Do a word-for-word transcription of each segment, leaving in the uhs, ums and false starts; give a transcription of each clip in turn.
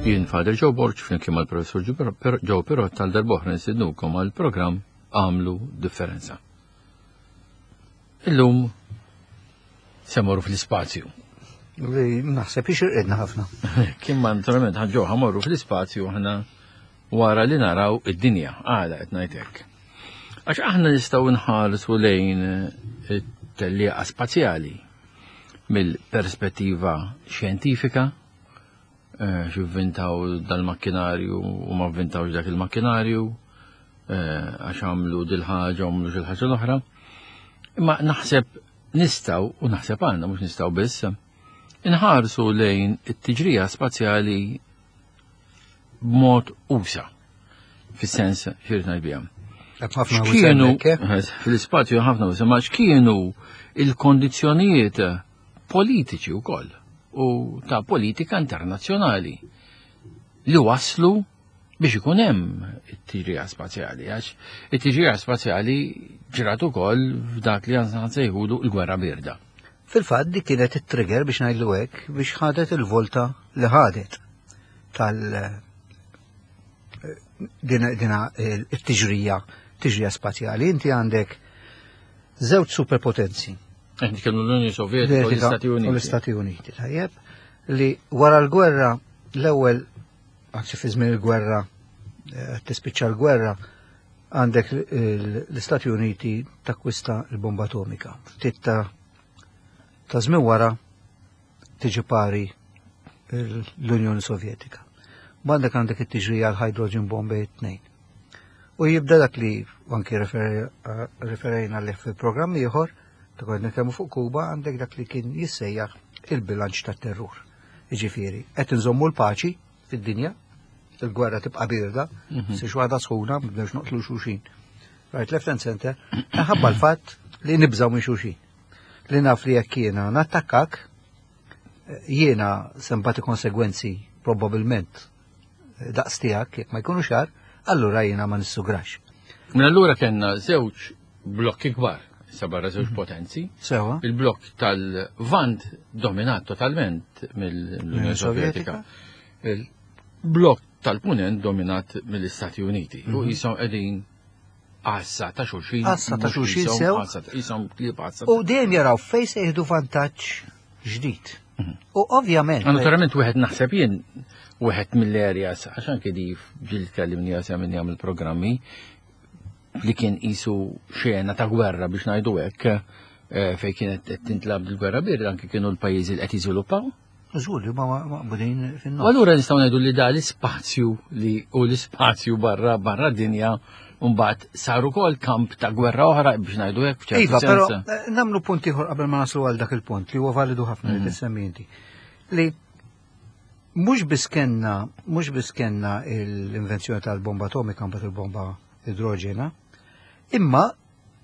Jien Father Joe Borg flimkien mal-Professur Joe Pirotta għal darb'oħra nistednukom għal programm Agħmlu Differenza. Illum se mmorru fl-ispazju. Li naħseb ixirqidna ħafna. Kien ma naturalment ħa ġo ħa mmorru fl-ispazju aħna wara li naraw id-dinja, għala qed ngħid hekk. Għax aħna nistgħu nħarsu lejn it-tellieqa spazjali mill-perspettiva xjentifika, eh, x'ivvintaw dal-makkinarju u ma vvintawx dak il-makkinarju, eh, għax għamlu dil-ħaġa u għamlu xil-ħaġa l-oħra. Imma naħseb nistgħu, u naħseb għandna mhux nistgħu biss, inħarsu lejn it-tiġrija spazjali b'mod usa', fis-sens x'irrid ngħid biha. Ħafna X'kienu eh? fil-ispazju ħafna usa', ma x'kienu il-kondizzjonijiet politiċi wkoll u ta' politika internazzjonali li waslu biex ikun hemm it-tiġrija spazjali, għax it-tiġrija spazjali ġrat ukoll f'dak li għandna nsejħulu l-gwerra birda. Fil-fatt dik kienet it-trigger biex ngħidlu hekk biex ħadet il-volta li ħadet tal dina, dina it-tiġrija tiġrija spazjali. Inti għandek żewġ superpotenzi. Qed nitkellmu l-Unjoni Sovjetika u l-Istati U Uniti. l-Istati Uniti, tajjeb, li wara l-gwerra l-ewwel anzi fi żmien il-gwerra eh, tispiċċa l-gwerra għandek l-Istati Uniti takkwista l-bomba atomika. Ftit ta' ta' żmien wara tiġi pari l-Unjoni Sovjetika. Għandek għandek it-tiġrija l-hydrogen bomb tnejn. U jibda dak li anki referejna li fil-programm ieħor, ta' kont nitkellmu fuq Kuba, għandek dak li kien jissejjaħ il-bilanċ tat-terrur. Jiġifieri, qed inżommu l-paċi fid-dinja, il-gwerra tibqa' birda, si waħda sħuna, mibdewx noqtlu xulxin. Right, left and center, ħabba l-fatt li nibżaw minn xulxin. Li naf li jekk jiena nattakkak, jiena se nbati konsegwenzi probabilment daqs tiegħek jekk ma jkunu xar, allura jiena ma nissugrax. Minn allura kellna żewġ blokki kbar, sa barra żewġ potenzi. Sewa. Il-blokk tal-Lvant dominat totalment mill-Unjoni Sovjetika. Il-blokk tal-Punent dominat mill-Istati Uniti. U jisom qegħdin għassa ta' xulxin. Għassa ta' mhux xulxin jisom sew. għassa ta'- Jisom klieb għassa. U dejjem jaraw fej se jieħdu vantaġġ ġdid. U ovvjament. Naturalment wieħed naħseb jien wieħed mill-areas għax anke di ġieli tkellimni għasja minn jagħmel programmi li kien qisu xena ta' gwerra biex ngħidu hekk eh, fejn kienet qed tintlab il-gwerra birda anke kienu l-pajjiżi li qed jiżviluppaw. Żgur li ma maqbudin U fin-nofs. allura nistgħu ngħidu li da l-ispazju li u l-ispazju barra barra dinja mbagħad saru wkoll kamp ta' gwerra oħra biex ngħidu hekk f'ċertu Iva, però sens. eh, namlu punt ieħor qabel ma naslu għal dak il-punt li huwa validu ħafna li tissemmi inti. Li mhux biss kellna mhux biss kellna l-invenzjoni tal-bomba atomika mbagħad il-bomba idroġena, imma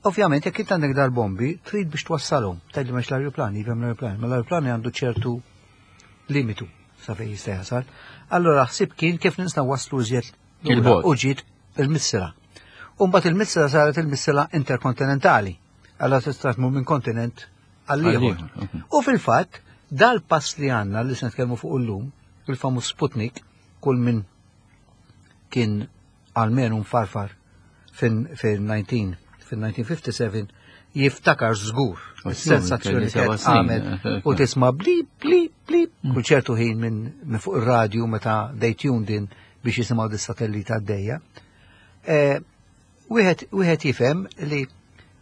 ovvjament jekk int għandek dal-bombi trid biex twassalhom. Tgħidli m'hemmx l-ajruplani, iva hemm l-ajruplani, ma l-ajruplani għandu ċertu limitu sa fejn jista' jasal. Allora ħsib kien kif nistgħu waslu iżjed lura Il-bogħod. u ġiet il-missila. U mbagħad il-missila saret il-missila interkontinentali. Allora tista' tmur minn kontinent għal ieħor. Għall-ieħor, mhm. U fil-fatt, dal-pass li għandna li se nitkellmu fuq illum, il-famuż Sputnik, kull min kien almenu mfarfar fin-nineteen fin-elf disa' mija u ħamsa u sebgħin jiftakar żgur is-sensazzjoni kelli seba' kienet snin, għamet eh, u tisma' blip blip blip kull ċertu ħin minn min fuq ir-radju meta they tuned in biex jisimgħu dis-satellita għaddejja. Eh, Wieħed wieħed jifhem li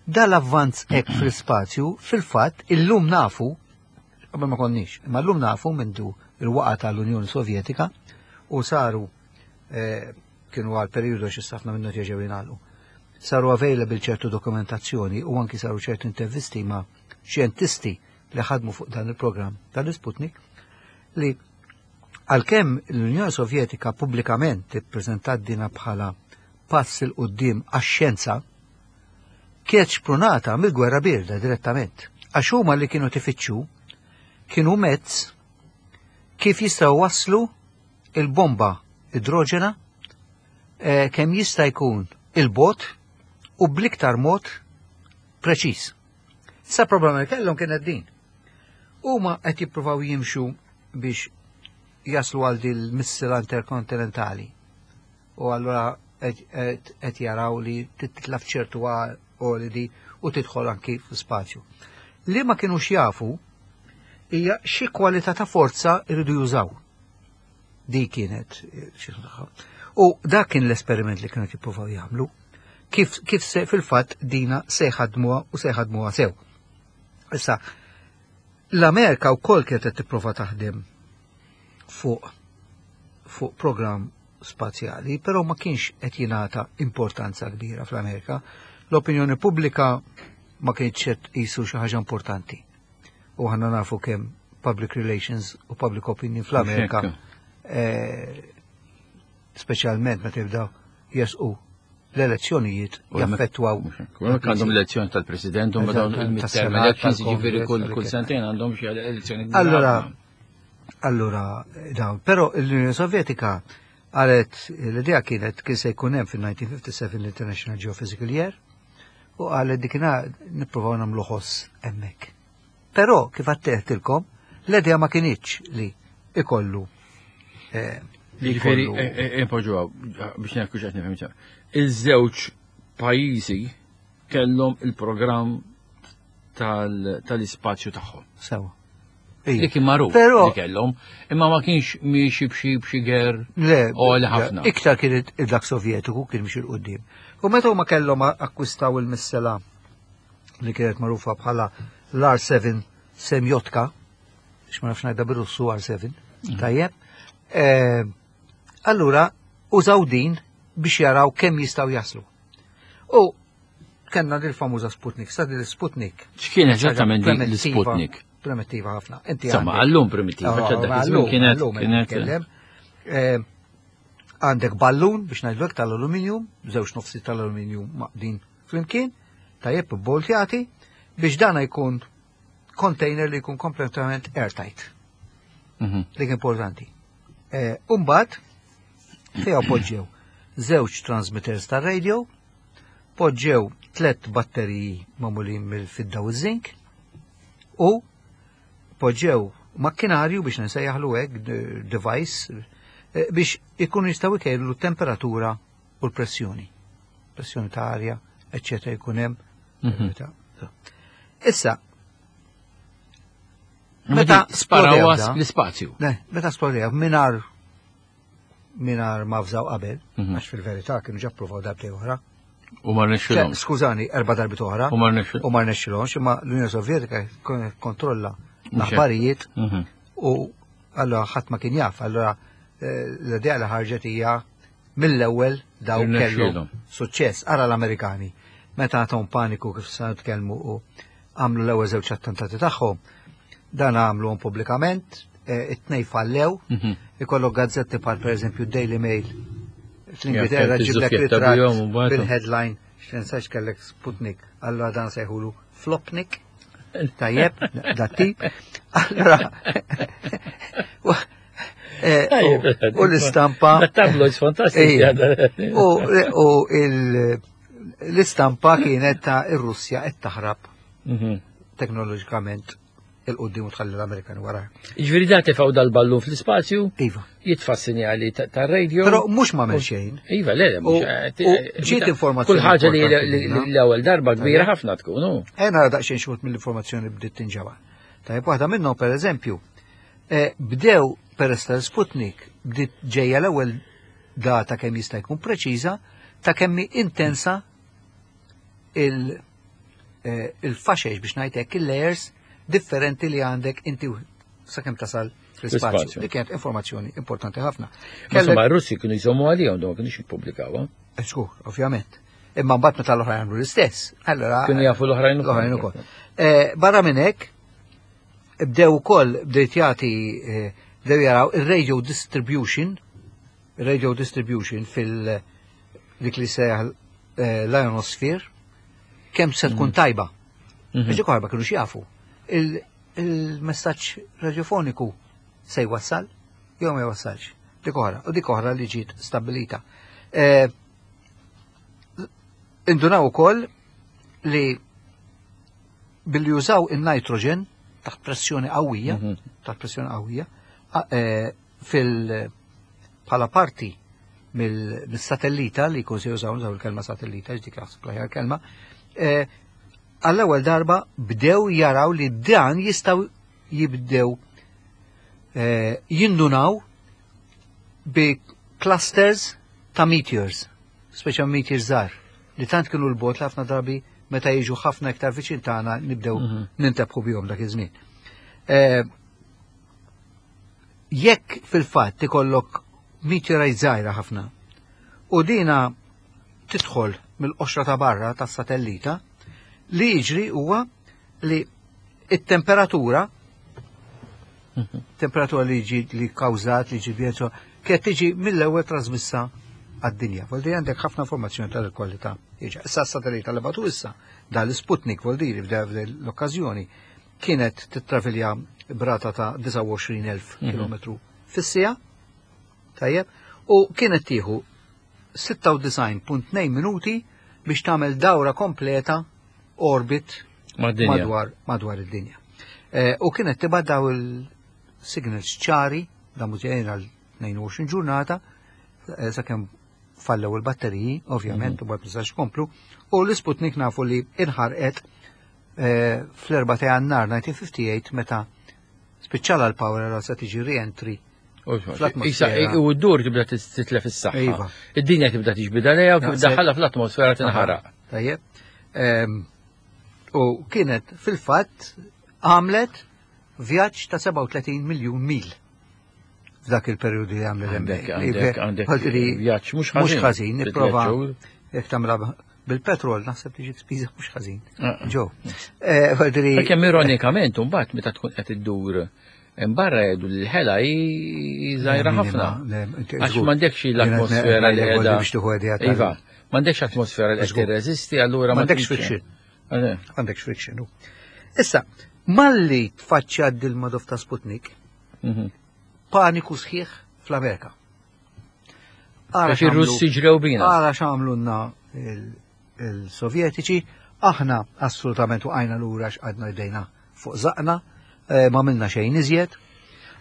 dal-avvanz hekk fl-ispazju fil-fatt illum nafu qabel ma konniex, imma llum nafu mindu il-waqa tal-Unjoni Sovjetika u saru eh, kienu għal periodu xi ħafna minnu ġew jingħalqu. Saru available ċertu dokumentazzjoni u anki saru ċertu intervisti ma' xjentisti li ħadmu fuq dan il-programm tal-Sputnik li għalkemm l-Unjoni Sovjetika pubblikament ippreżentat dina bħala pass 'il quddiem għax-xjenza, kienet xprunata mill-gwerra birda direttament. Għax huma li kienu tifittxu kienu mezz kif jistgħu waslu il-bomba idroġena eh, kemm jista' jkun il-bogħod u bl-iktar mod preċiż. Sa problema li kellhom kienet din. Huma qed jippruvaw jimxu biex jaslu għal dil missila interkontinentali. U allura qed jaraw li titla' f'ċertu għoli u tidħol anki fl-spazju. Li ma kienux jafu hija xi kwalità ta' forza jridu jużaw. Di kienet xi U dak kien l-esperiment li kienu jippruvaw jagħmlu. Kif, kif se fil-fatt dina se jħadmuha u se jħadmuha sew. Issa, l-Amerika wkoll kienet qed tipprova taħdem fuq fuq programm spazjali, però ma kienx qed jingħata importanza kbira fl-Amerika. L-opinjoni pubblika ma kienx qed qisu xi ħaġa importanti. U aħna nafu kemm public relations u public opinion fl-Amerika, eh, speċjalment meta jibdaw jesqu l-elezzjonijiet, jaffettwaw. Għandhom l-elezzjoni tal-president, u dawn il-midterm elections, ġifieri kull sentejn għandhom xi elezzjoni. Allora, allora, dawn, però l-Unjoni Sovjetika għalet l-idea kienet kien se jkun hemm fil-elf disa' mija u ħamsa u sebgħin l-International Geophysical Year u għalet dikina nippruvaw nagħmlu ħoss hemmhekk. Però kif għatteħtilkom, l-idea ma kinitx li ikollu eh, li Ġifieri, impoġġu biex nekku x'qed nifhem. Iż-żewġ pajjiżi kellhom il-programm tal-ispazju tagħhom. Sewa. Li kien magħruf li kellhom, imma ma kienx miexi b'xi b'xi ger Le, u li ħafna. Iktar kien dak Sovjetiku kien mixi 'l quddiem. U meta huma kellhom akkwistaw il-missela li kienet magħrufa bħala l-R seba Semjotka, x ma nafx ngħidha bir-Russu R seba, mhm. tajjeb. Eh, allura użaw din biex jaraw kemm jistgħu jaslu. U kellna dil famuża Sputnik, sa dil Sputnik. X'kien eżattament l-Sputnik? Primittiva ħafna. Inti Insomma, għallum primittiva, kienet kienet. Eh, għandek ballun biex ngħidlek tal-aluminium, żewġ nofsi tal-aluminium maqdin flimkien, tajjeb, boltjati, biex dana jkun container li jkun kompletament airtight. Mhm. Dik importanti. Eh, Umbagħad, fiha poġġew żewġ transmitters tar radio, poġġew tlet batteriji magħmulin mill-fidda u zinc u poġġew makkinarju biex nsejjaħlu hekk, device eh, biex ikunu jistgħu jkejlu temperatura u l-pressjoni. Pressjoni ta' arja, eccetera, jkun hemm. Mhm. Issa, meta sparaw l-ispazju. Ne, meta sparaw minar minar ma fżaw qabel, Mhm. għax fil-verità kienu ġa provaw darbtej oħra. U ma rnexxilhomx. Skużani, erba' darbit oħra. U ma rnexxilhomx. U ma rnexxilhomx, imma l-Unjoni Sovjetika kontrolla l-aħbarijiet Mhm. u allora ħadd ma kien jaf, allora eh, l-idea li ħarġet hija mill-ewwel daw kellhom Irnexxielhom. suċċess. Ara l-Amerikani, meta għatom paniku kif sa nitkellmu u għamlu l-ewwel żewġ attentati tagħhom, dan għamluhom pubblikament, eh, it-tnej fallew, Mhm. ikollok gazzetti bħal pereżempju Daily Mail fl-Ingilterra Ja, ġiblek iż-żufjetta ritratt bihom u mbagħad- bil-headline, x'tinsax kellek Sputnik, allora dan sejħulu Flopnik, tajjeb, dat tip. Allora, u- eh, u- u l-istampa. Tabloids fantastiċi. Ejja. U u il- l-istampa kienet ta' ir-Russja qed taħrab Mhm. teknoloġikament 'il quddiem u tħalli l-Amerikani wara. Ġifieri da tefgħu dal-ballun fl-ispazju, Iva. jitfa' sinjali ta' radio. Però mhux ma xejn. Iva, le, le, U- mhux. u ġiet informazzjoni Kull ħaġa li importanti li- minna. li l-ewwel darba kbira ħafna tkun, hu. Ejna nara daqsxejn xi wħud mill-informazzjoni bdiet tinġaba. Tajjeb, waħda minnhom pereżempju, eh, bdew peress tal-Sputnik bdiet ġejja l-ewwel data kemm jista' jkun preċiża ta' kemm hi intensa il- eh, il-faxex biex ngħidlek il-layers differenti li għandek inti sakemm tasal fl-ispazju. Fl-ispazju. Dik kienet informazzjoni importanti ħafna. Ma Insomma, r-Russi kienu jżommu għalihom, dawn ma kienux jippubblikaw. Eh, Żgur, ovvjament. Imma mbagħad meta l-oħrajn għamlu l-istess. Allora Kienu jafu l-oħrajn ukoll. l-oħrajn ukoll. Eh, Barra minn hekk, bdew ukoll bdejt jagħti eh, bdew jaraw ir-radio distribution, radio distribution fil dik li sejjaħ eh, l-ionosphere, kemm se tkun tajba. Mhm. Biex dik ma kienux jafu. Il- Il-messaġġ radiofoniku se jwassal jew ma jwassalx. Dik oħra, u dik oħra li ġiet stabilita. Eh, Indunaw ukoll li billi jużaw il-nitrogen taħt pressjoni qawwija, Mhm. taħt pressjoni qawwija, a- eh, fil bħala parti mill-satellita li jkun se jużaw, nużaw il-kelma satellita, dik naħseb l-aħjar kelma, eh, għall-ewwel darba bdew jaraw li dan jistgħu jibdew eh, jindunaw bi clusters ta' meteors, speċa meteors żgħar, li tant kienu 'l bogħod li ħafna drabi meta jiġu ħafna iktar viċin tagħna nibdew Mhm. nintebħu bihom dak iż-żmien. Eh, Jekk fil-fatt ikollok meteorite żgħira ħafna u dina tidħol mill-qoxra ta' barra tas-satellita, li jiġri huwa li it-temperatura temperatura li ġi li kawżat li ġi bjenzo kienet tiġi mill-ewwel trasmissa għad-dinja. Vuol dire għandek ħafna informazzjoni tal-kwalità. Iġa, issa s-satellita li bagħtu issa dal-Sputnik vuol dire f'da l-okkażjoni kienet titravilja b'rata ta' disgħa u għoxrin elf km fis-siegħa. Tajjeb, u kienet tieħu sitta u disgħin punt tnejn minuti biex tagħmel dawra kompleta orbit Mad-dinja. madwar madwar id-dinja. Eh, u kienet tibgħat daw il-signals ċari, da mużejn għal tnejn u għoxrin ġurnata, eh, sakemm fallew il-batteriji, ovvjament, u bad nistax komplu, u l-Sputnik nafu li inħarqet eh, fl-erba' ta' Jannar elf disa' mija u ħamsa u ħamsin meta spiċċala l-power għal se tiġi re-entry fl-atmosfera. Isa, u d-dur tibda titlef is-saħħa. Iva. Id-dinja tibda tiġbida lejha u kif Naqseb. daħħalha fl-atmosfera tinħaraq. Tajjeb. Em, U kienet fil-fatt għamlet vjaġġ ta' sebgħa u tletin miljun mil f'dak il-periodu li għamlet Għandek, hemmhekk. għandek, għandek Għaldri, vjaġġ mhux mhux ħażin. ħażin, nipprova Titlet xhur. jekk tagħmilha bil-petrol naħseb tiġi spiża mhux ħażin. Ah. Ġo. Eh, Għaldri, Għalkemm ironikament mbagħad meta tkun qed iddur barra jgħidu li l-ħela hi żgħira ħafna. Għax m'għandekx l-atmosfera li qiegħda. biex tieħu idea tal- Iva, m'għandekx atmosfera li qed Żgur. tirreżisti, allura ma M'għandekx tkunx- friction. Għale. Għandekx friction. u. Issa, malli tfaċċa dil-madof ta' Sputnik, Mhm. paniku sħiħ fl-Amerika. Ara Għax ir-Russi ġrew bina. Ara x'għamlulna il- il-Sovjetiċi, aħna assolutament waqajna lura x'għadna jdejna fuq zaqna, eh, ma għamilna xejn iżjed.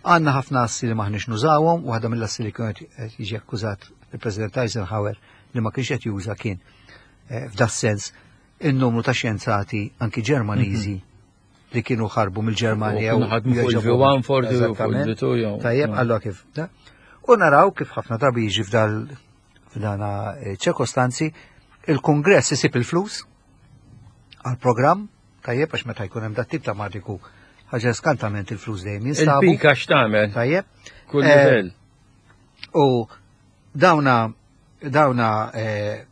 Għandna ħafna assi li maħniex nużawhom, waħda mill-assi li kienet qed jiġi akkużat il-President Eisenhower li ma kienx qed juża kien eh, f'das sens in-numru ta' xjenzati anki Ġermaniżi li kienu ħarbu mill-Ġermanja U kienu ħadmu fuq il-V one forti u fuq Eżattament. il-V two jew- Tajjeb, Mm. allora kif. da? U naraw kif ħafna drabi jiġi f'dal f'dana eh, ċirkostanzi, il-Kongress isib il-flus għal-programm, tajjeb, għax meta jkun hemm dat tip ta' madiku, ħaġa skantament il-flus dejjem jinstabu. Il-pika x'tagħmel? Tajjeb. Kull Eh, livell. U dawna dawna eh,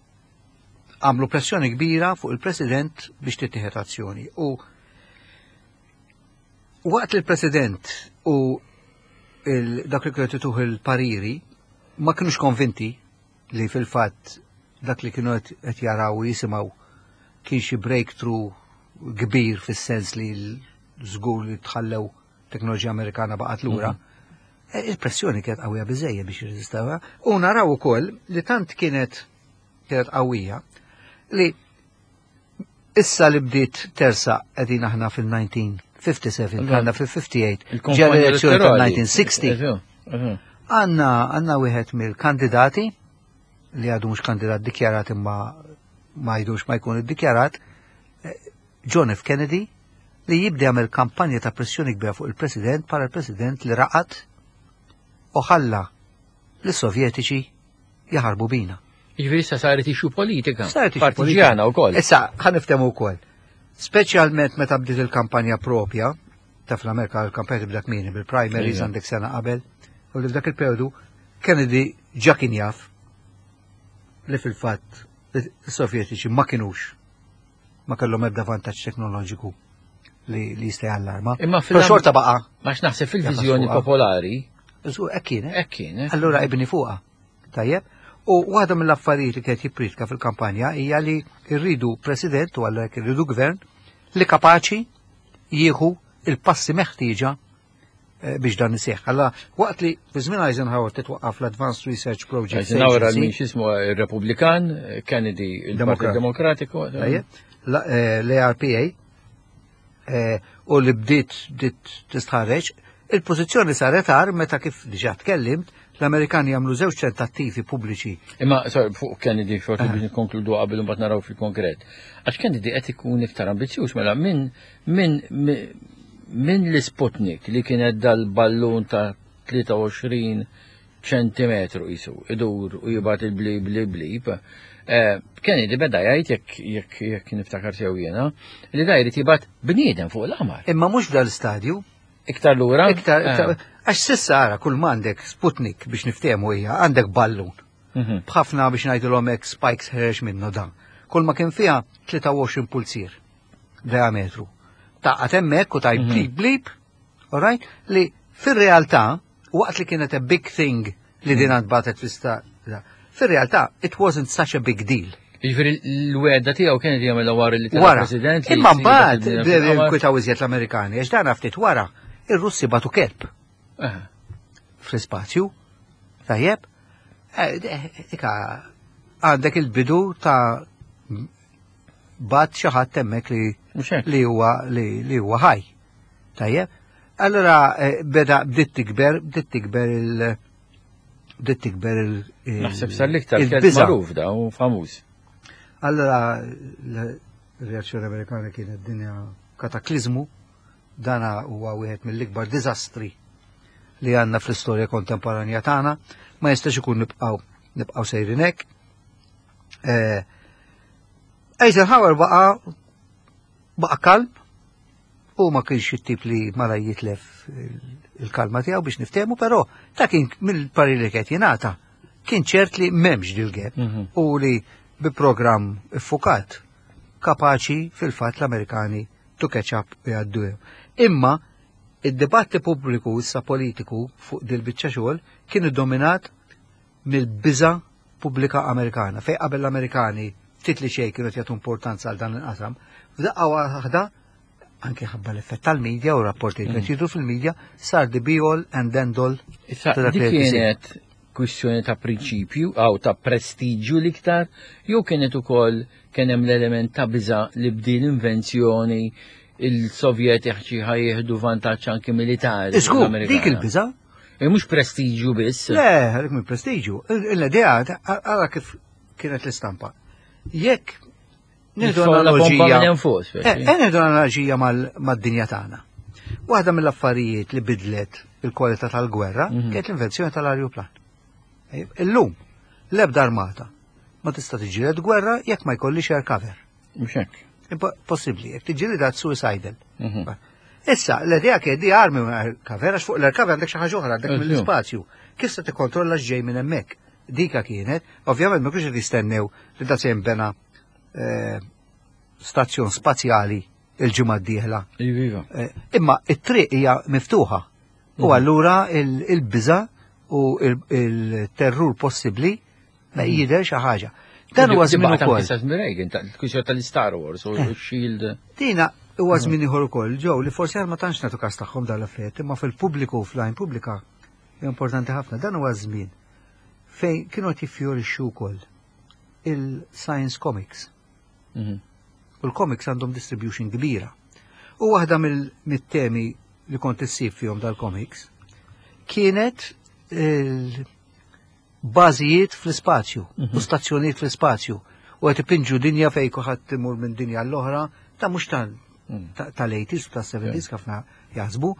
għamlu pressjoni kbira fuq il-President biex tittieħed azzjoni. U waqt li l-President u il, dak li kienu tuħ il-pariri ma kienux konvinti li fil-fatt dak li kienu qed qed jaraw u jisimgħu kien xi breakthrough kbir fis-sens li l-żgur li tħallew teknoloġija Amerikana baqgħet lura. E, Il-pressjoni kienet qawwija biżejjed biex jirreżistawha. U naraw ukoll li tant kienet kienet qawwija li issa li bdiet tersa qegħdin aħna fil-elf disa' mija u ħamsa u ħamsin, għandna fil-ħamsa u ħamsin, Il-kampanja ġew l-elezzjoni elettorali. tal-elf disa' mija u sittin. Eżu, eżu. Għanna għanna wieħed mill-kandidati li għadu mhux kandidat dikjarat imma ma jdux ma jkun iddikjarat, eh, John F. Kennedy, li jibda jagħmel kampanja ta' pressjoni kbira fuq il-President bħala il-President li raqat u ħalla l-Sovjetiċi jaħarbu bina. Jiġifieri issa saret issue politika. Saret issue Partiġjana wkoll. Issa, ħa niftehmu wkoll. Speċjalment meta bdiet il-kampanja propja, ta' fl-Amerika l-kampanja tibda kmieni bil-primaries Iva. għandek sena qabel, u li f'dak il-periodu Kennedy ġa kien jaf li fil-fatt is-Sovjetiċi ma kinux ma kellhom ebda vantaġġ teknoloġiku li, li jista' jallarma. Imma Però fil- xorta baqa'. Ma naħseb fil-viżjoni Jafas fuqha. popolari, Żgur, hekk kien, eh? hekk kien, eh? Allura ibni fuqha. Tajjeb. U waħda mill-affarijiet li kienet jippritka fil-kampanja hija li rridu president u għalhekk irridu gvern li kapaċi jieħu il-passi meħtieġa eh, biex dan iseħħ. Alla waqt li fi żmien Eisenhower titwaqqaf l-Advanced Research Project Eisenhower għal min Agency, xismu il-Republikan, Kennedy il-Partit Demokrat. Demokratiku. tajjeb, la- eh, l-A R P A, eh, u li bdiet bdiet tistħarreġ, Il-pożizzjoni saret agħar meta, kif diġà tkellimt, l-Amerikani jagħmlu żewġ tentattivi pubbliċi. Imma, sorry, fuq Kennedy, forsi biex nikkonkludu qabel mbagħad naraw fil-konkret. Għax Kennedy qed ikun iktar ambizzjuż, mela minn min, min l-Sputnik li kienet dal-ballun ta' tlieta u għoxrin ċentimetru jisu, idur u jibgħat il-blip blip blip. Eh, Kennedy beda jgħid, jekk jekk jekk niftakar sew jiena, li da jrid jibgħat bniedem fuq l-qamar. Imma mhux f'dal-istadju. Iktar lura? Iktar, Eh. iktar, għax s'issa ara kull m'għandek Sputnik, biex niftehmu, hija għandek ballun. Mhm. B'ħafna, biex ngħidulhom hekk, spikes ħereġ minnu dan. Kull ma kien fiha tlieta u għoxrin pulzier diametru. Taqgħad hemmhekk u tajt blip blip, all right? Li fir-realtà, waqt li kienet a big thing li din ntbagħtet fl-ista, fir-realtà it wasn't such a big deal. Jiġifieri l-wegħda tiegħu kienet jagħmilha wara li tela' Wara. president li Imma jsir mbagħad il-bniedem bdew fil-qamar. jinkwitaw iżjed l-Amerikani, għax dan ftit wara ir-Russi bagħtu kelb Eh. fl-ispazju. Tajjeb, Eh, eh, ika għandek il-bidu ta' bgħatt xi ħadd hemmhekk li Mhux hekk. li huwa li, li huwa ħaj. Tajjeb? Allora eh, beda bdiet tikber, bdiet tikber il bdiet tikber il il- Naħseb sar l-iktar kelb il-biża'. magħruf da u famuż. Allora l-reazzjoni Amerikana kienet dinja kataklizmu, dana huwa wieħed mill-ikbar diżastri li għandna fl-istorja kontemporanja tagħna, ma jistax ikun nibqgħu nibqgħu sejrin hekk. Eh, Eisenhower baqa baqa kalm u ma kienx it-tip li mala jitlef il-kalma tiegħu, biex niftehmu, però ta' kien mill-parir li qed jingħata kien ċert li m'hemmx dil-gap Mhm. u li bi programm iffukat kapaċi fil-fatt l-Amerikani to catch up u jgħaddu. Imma id-dibatti pubbliku issa politiku fuq dil-biċċa xogħol kien iddominat mill-biża pubblika Amerikana. Fej qabel l-Amerikani ftit li xejn kienu jagħtu importanza għal dan il-qasam, f'daqqa waħda, anke ħabba l-effett tal-medja u rapporti li kienu jidhru fil-medja, sar the be all and end all Issa, ta' dak dik li qed isir. kienet kwistjoni ta' prinċipju għaw ta' prestiġju l-iktar, jew kienet ukoll kien hemm l-element ta' biża li b'din l-invenzjoni il-Sovjetiċi ħa jieħdu vantaġġ anke militari fuq Iżgur, l-Amerikana? Dik il-biża. E mhux prestiġju biss. Le, għalik minn prestiġju. L-idea, għara kif kienet l-istampa. Jekk nieħdu Nitfgħu la bomba analogija. minn hemm fuq, speċi. Eh, eh, nieħdu analogija mal- mad-dinja tagħna. Waħda mill-affarijiet li bidlet il-kwalità tal-gwerra Mhm. kienet l-invenzjoni tal-ajruplan. Eh, Illum, l-ebda armata ma tista' tiġġieled gwerra jekk ma jkollix air cover. Mhux hekk. Impo- Possibbli, jekk tiġġieled suicidal. Mhm. Issa, l-idea kien di armi air cover, għax fuq l-air cover għandek xi ħaġa oħra, għandek Eżju. mill-ispazju. Kif se tikkontrolla x'ġej minn hemmhekk? Dika kienet, ovvjament ma kienx qed jistennew li da se jinbena eh, stazzjon spazjali il-ġimgħa d-dieħla. Iva. Eh, Imma it-triq hija miftuħa. U allura il- il-biża u il- il-terrur possibbli ma jidher xi ħaġa. Dan huwa żmien ukoll. Reagan, tal-kwistjoni tal-Star Wars u Shield. Tina huwa żmien ieħor ukoll ġew li forsi ma tantx nagħtu każ tagħhom dal-affarijiet, imma fil-pubbliku, fl-għajn pubblika, hija importanti ħafna. Dan huwa żmien fejn kienu qed jiffjorixxu wkoll il-science comics. Mhm. U l-comics għandhom distribution kbira. U waħda mill-temi li kont issib fihom dal-comics kienet il-bażijiet fl-ispazju u stazzjonijiet fl-ispazju. U qed ipinġu dinja fejn kulħadd imur minn dinja l-oħra, ta' mhux tal tal-eighties u tas-seventies ħafna jaħsbu.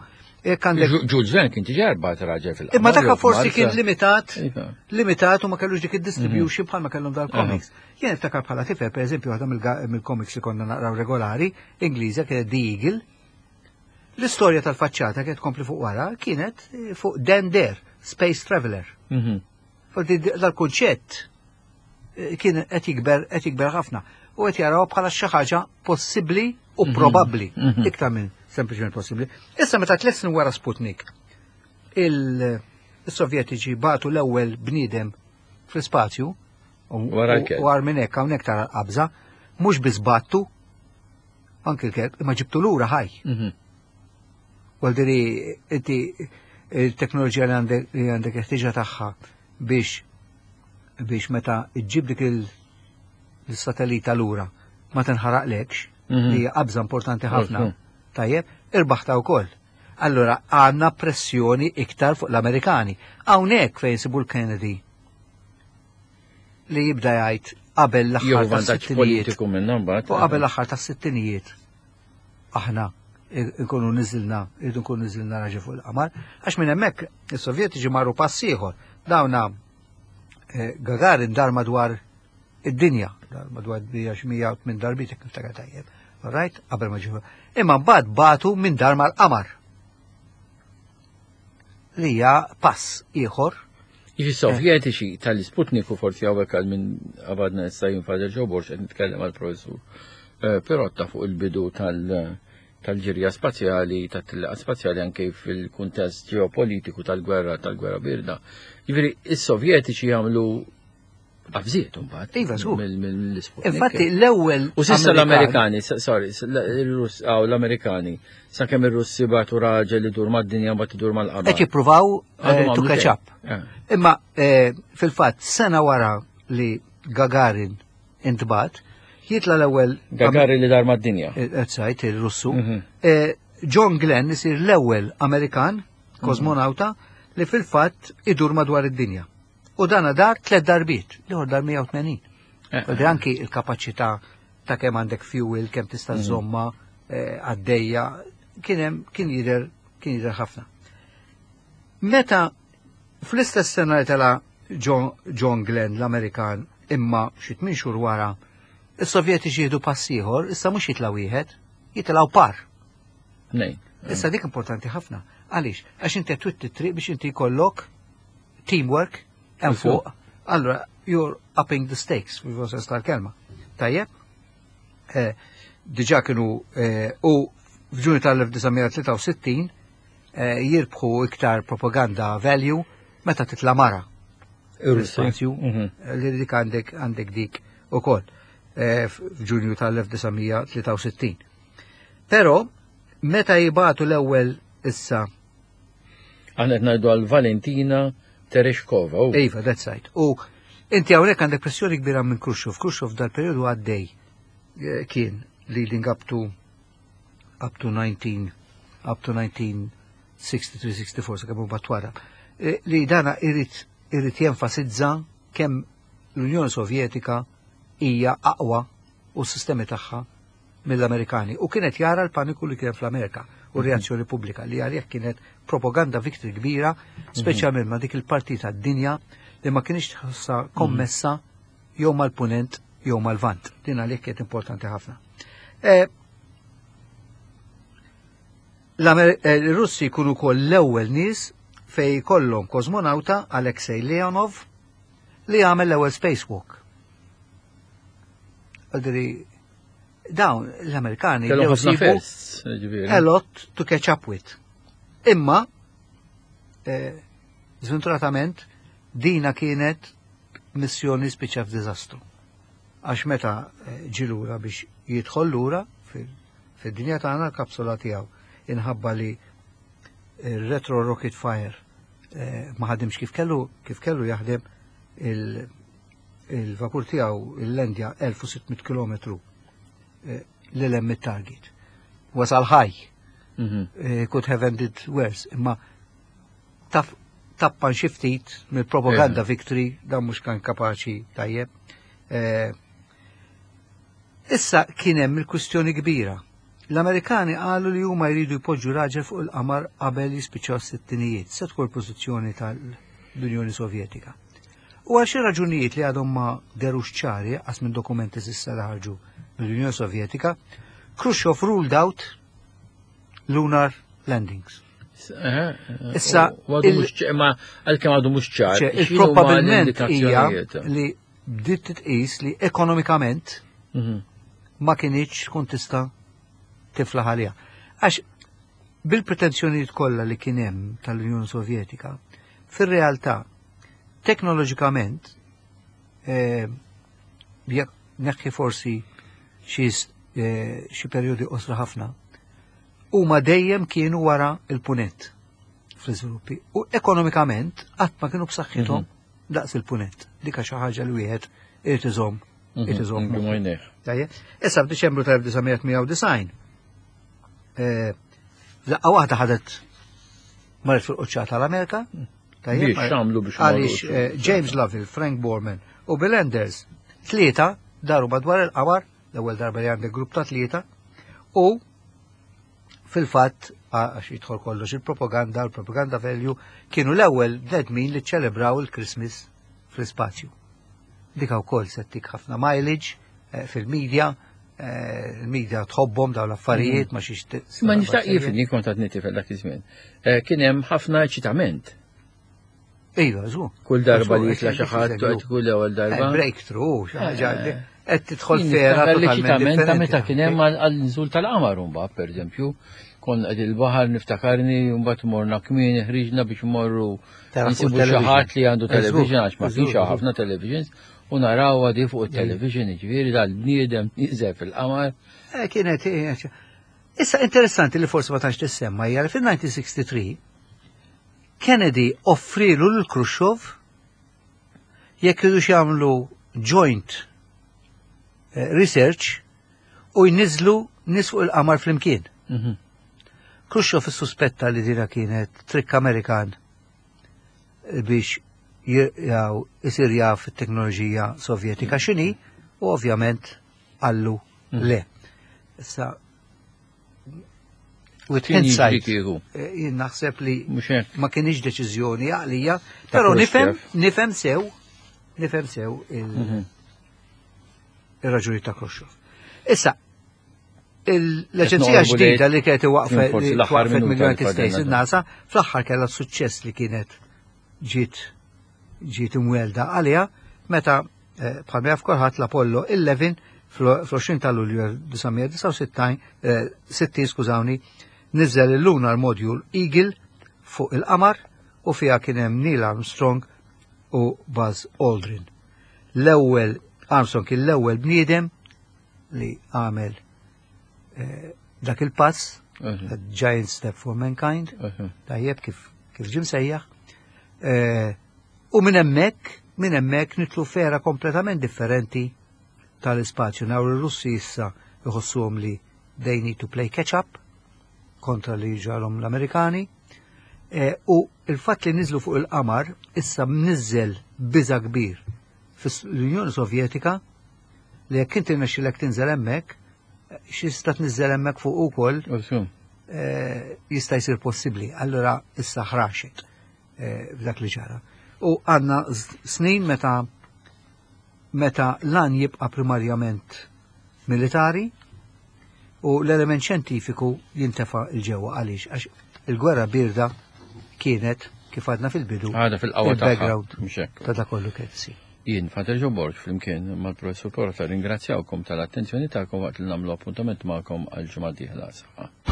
Jekk għandek Jules Verne kien diġà bagħat raġel fil Imma dak forsi kien limitat, Iva. limitat u ma kellux dik id-distribution bħalma kellhom dal-comics. Jien niftakar bħala tifel, per eżempju, waħda mill-comics li konna naqraw regolari, Ingliża, kienet The Eagle. L-istorja tal-faċċata kienet kompli fuq wara, kienet eh, fuq Dan Dare, Space Traveler. Mhm. Forsi dal-kunċett eh, kien qed jikber qed jikber ħafna u qed jaraw bħala xi ħaġa possibbli u probabbli Mhm. iktar minn sempliċement possibbli. Issa meta tliet snin wara Sputnik il-Sovjetiċi bagħtu l-ewwel bniedem fl-ispazju u Wara l-kelb. u għar minn hekk hawnhekk tara l-qabża, mhux biss bagħtu anki l-kelb, imma ġibtu lura ħaj. Mhm. Għal diri, inti il-teknoloġija li għandek li għandek ħtiġa tagħha biex biex meta iġġib dik il- il-satellita lura ma tinħaraqlekx, Mhm. li hija qabża importanti ħafna. Mhm. Tajjeb, irbaħta wkoll. Allora għandna pressjoni iktar fuq l-Amerikani. Hawnhekk fejn sibu l-Kennedy li jibda jgħid qabel l-aħħar Jieħu vantaġġ tas-sittinijiet. politiku minna mbagħad. U qabel l-aħħar tas-sittinijiet aħna nkunu niżilna, irridu nkunu niżilna raġel fuq il-qamar, għax minn hemmhekk is-Sovjetiċi marru pass ieħor. Dawna eh, Gagarin dar madwar id-dinja, dar madwar id-dinja xi mija u tmien darbiet jekk niftakar tajjeb. All right, qabel ma ġiew. Imma mbagħad bagħtu min dar mal-qamar. Li hija pass ieħor. Jiġi Sovjetiċi tal-Sputnik u forsi hawnhekk għal minn għabadna issa jinfader ġoborx qed nitkellem għal professur eh, Pirotta fuq il-bidu tal- tal-ġirja spazjali, tat-tellieqa spazjali anke fil-kuntest ġeopolitiku tal-gwerra, tal-gwerra birda. Jiġifieri is-Sovjetiċi jagħmlu qabżiet imbagħad. Iva, żgur. mill- mill-Sputnik. Infatti l-ewwel U s'issa Amerikan- l-Amerikani, s- sorry, s- l- il-Russ, għaw l-Amerikani, sakemm ir-Russi bagħtu raġel li dur mad-dinja mbagħad idur mal-qamar. qed jippruvaw eh, Għadhom to għamlu catch xejn. up. Eh. Imma eh, fil-fatt sena wara li Gagarin intbagħat, jitla l-ewwel Gagarin li dar mad-dinja. Ezzajt, il-Russu. Mhm. Eh, John Glenn isir l-ewwel Amerikan, kosmonauta, li fil-fatt idur madwar id-dinja. U dana dar tliet darbiet, l dar mija u tmenin. Eh, Għaldi anki il-kapaċità ta' kemm għandek fuel, kemm tista' żomma eh, għaddejja, kien hemm kien jidher kien jidher ħafna. Meta fl-istess sena li tela John, John Glenn l-Amerikan imma xi tmien xhur wara, is-Sovjetiċi jieħdu pass ieħor, issa mhux jitilgħu wieħed, jitilgħu par. Nej. Issa dik importanti ħafna. Għaliex? Għax inti twitti triq biex inti jkollok teamwork hemm fuq. Allora, you're upping the stakes, fil sens tal-kelma. Tajjeb? Eh, Diġà kienu eh, u f'Ġunju tal-elf disa' mija tlieta u sittin eh, jirbħu iktar propaganda value meta titla' mara. Ir-Russi. Spazju Mhm. li dik għandek għandek dik ukoll eh, f'Ġunju tal-elf disa' mija tlieta u sittin. Però meta jibagħtu l-ewwel issa Aħna qed ngħidu għal Valentina Tereshkova. u- Iva, that's right. U inti hawnhekk għandek pressjoni kbira minn Khrushchev. Khrushchev dal-periodu għaddej eh, kien leading up to up to nineteen up to nineteen sixty-three sixty-four sakemm mbagħad wara. Eh, Li dana irid irid jenfasizza kemm l-Unjoni Sovjetika hija aqwa u s-sistemi tagħha mill-Amerikani. U kienet jara l-paniku li kien fl-Amerika u reazzjoni pubblika li għalih kienet propaganda victory kbira, speċjalment ma' dik il-partita d-dinja li ma kienx tħossa kommessa jew mal-punent jew mal-vant. Din għalih kienet importanti ħafna. Eh, l-Amer- eh, Il-Russi jkunu kol l-ewwel nies fej kollhom kosmonauta Alexei Leonov li għamel l-ewwel spacewalk. Għaldiri, dawn l-Amerikani Kellhom bdew ħafna isibu firsts, ġifieri. a lot to catch up with. Imma, eh, sventuratament, dina kienet missjoni spiċċa f'diżastru. Għax meta eh, ġie lura biex jidħol lura fil- fid-dinja tagħna l-kapsula tiegħu inħabba li il-retro rocket fire eh, ma ħadimx kif kellu kif kellu jaħdem il- il-vapur tiegħu il-lendja elf u sitt mitt km lil hemm it-target. Wasal ħaj, Mhm. eh, could have ended worse, imma taf tappan xi ftit mill-propaganda victory dan mhux kan kapaċi tajjeb. Eh, Issa kien hemm il-kwistjoni kbira. L-Amerikani qalu li huma jridu jpoġġu raġel fuq il-qamar qabel jispiċċaw s-sittinijiet, se tkun pożizzjoni tal-Unjoni Sovjetika. U għal xi raġunijiet li għadhom ma derux ċari għas minn dokumenti s'issa li ħarġu mill-Unjoni Sovjetika, Khrushchev ruled out lunar landings. Eh, Issa, u għadu il- mhux ċ- ma għalkemm għadu mhux ċar. ċe, x'inhuma il-probabilment hija l-indikazzjonijiet? li bdiet titqis li ekonomikament Mhm. ma kinitx tkun tista' tiflaħ għaliha. Għax bil-pretenzjonijiet kollha li kien hemm tal-Unjoni Sovjetika, fir-realtà teknoloġikament eh, jekk neħħi forsi xi eh, xi perjodi qosra ħafna, huma dejjem kienu wara il-punent fl-iżviluppi. U ekonomikament qatt ma kienu b'saħħithom daqs il-punent. Dik xi ħaġa li wieħed irid iżomm irid iżomm Mhm. moħħu. Għajnejh. Tajjeb. Issa f'Diċembru tal-elf disa' mija tmienja u disgħin eh, F'daqqa waħda ħadet Marret fil-quċċata tal-Amerika. Biex x'għamlu biex Għaliex eh, James Lovell, Frank Borman u Bill Anders, tlieta daru madwar il-qamar, l-ewwel darba li għandek grupp ta' tlieta, u fil-fatt għax jidħol kollox il-propaganda, il-propaganda value, kienu l-ewwel bnedmin li ċelebraw il-Christmas fl-ispazju. Dika wkoll se ttik ħafna mileage eh, fil-medja, eh, il-medja tħobbhom dawn l-affarijiet ma xiex. Ma nixtaq jifni kont għadni tifel dak iż-żmien. Eh, Kien hemm ħafna eċitament. Iva, żgur. Kull darba li jitla xi ħadd qed kull ewwel darba. Breakthrough, xi ħaġa li qed tidħol Jien fera niftakar totalment l-eċitament ta' meta differenti. kien hemm għal-nżul tal-qamar mbagħad pereżempju, kon qed il-baħar niftakarni mbagħad morna kmieni ħriġna biex morru Tara fuq nsibu xi television. ħadd li għandu Eżgur, television għax ma eżgur, kienx hawn eżgur. ħafna televisions u naraw di fuq il-television jiġifieri dal-bniedem nieżel fil-qamar. Eh, Kienet, eh, issa interessanti li forsi ma tantx tissemma hija li fil-elf disa' mija u tlieta u sittin Kennedy offrilu lil Khrushchev jekk iridu jagħmlu joint eh, research u jniżlu nies fuq il-qamar flimkien. Mhm. Khrushchev suspetta li dina kienet trick Amerikan biex jaw isir jaf it-teknoloġija sovjetika x'inhi u ovvjament qallu le. Issa with Kien jiġri hindsight, kieku. eh, jien naħseb li Mhux hekk. ma kienx deċiżjoni għaqlija, Ta' però nifhem Khrushchev. nifhem sew nifhem sew il- Mhm. ir-raġuni ta' Khrushchev. Issa, il- l-Aġenzija noqorbu ġdida lejn li kienet waqfet forsi li l-aħħar twaqfet minuta mill-United li States, fadilna. il-NASA, fl-aħħar kellha suċċess li kienet ġiet ġiet imwelda għaliha meta eh, bħalma jaf kulħadd l-Apollo għoxrin fl-għoxrin ta' Lulju elf disa' mija u disgħa u sittin, eh, sittin, skużawni, niżel il-Lunar Module Eagle fuq il-qamar u fiha kien hemm Neil Armstrong u Buzz Aldrin. L-ewwel Armstrong kien l-ewwel bniedem li għamel eh, dak il-pass, Mhm. Giant Step for Mankind, Mhm. tajjeb kif kif ġim sejjaħ. Eh, U minn hemmhekk, minn hemmhekk nidħlu f'era kompletament differenti tal-ispazju. Naw ir-Russi issa jħossuhom li they need to play catch up kontra li ġarhom l-Amerikani. Eh, U il-fatt li niżlu fuq il-qamar issa mniżel biża kbir fis-Unjoni Sovjetika li jekk inti rnexxilek tinżel hemmhekk, x'jista' tniżel hemmhekk fuq ukoll Usu. eh, jista' jsir possibbli. Allora issa ħraxet eh, f'dak li ġara. U għandna z- snin meta meta lan jibqa' primarjament militari u l-element xjentifiku jintefa' 'l ġewwa. Għaliex? Għax il-gwerra birda kienet kif għadna fil-bidu Għada fil-qawwa tagħha. il-background Mhux hekk. ta' dak kollu kien isir. Jien, Father Joe Borg, flimkien mal-professor Porta, ringrazzjawkom tal-attenzjoni tagħkom waqt li nagħmlu appuntament magħkom għal ġimgħa dieħla. Saħħa.